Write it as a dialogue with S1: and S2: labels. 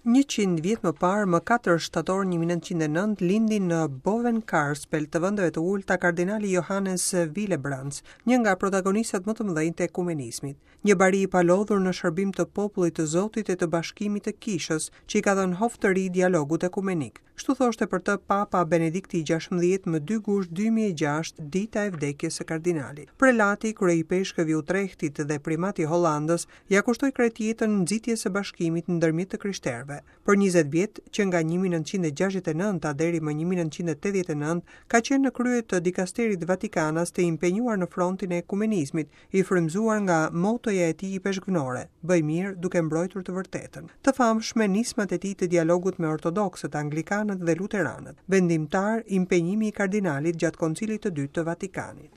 S1: 100 vjet më parë, më 4 shtator 1909, lindi në Bovenkarspel të vendeve të ulëta kardinali Johannes Willebrands, një nga protagonistët më të mëdhenj të ekumenizmit. Një bari i palodhur në shërbim të popullit të Zotit e të bashkimit të kishës, që i ka dhënë hov të ri dialogut ekumenik. Kështu thoshte për të Papa Benedikti i 16 më 2 gusht 2006, dita e vdekjes së kardinalit. Prelati, kryeipeshkëv i Utrehtit dhe primat i Hollandës, ia kushtoi krejt jetën nxitjes së bashkimit ndërmjet të krishterëve. Për 20 vjet, që nga 1969 deri më 1989, ka qenë në krye të dikasterit vatikanas të impenjuar në frontin e ekumenizmit, i frymëzuar nga motoja e tij ipeshkvnore, Bëj mirë duke mbrojtur të vërtetën. Të famshme nismat e tij të dialogut me ortodoksët, anglikanët dhe luteranët. Vendimtar impenjimi i kardinalit gjatë Koncilit të Dytë të Vatikanit.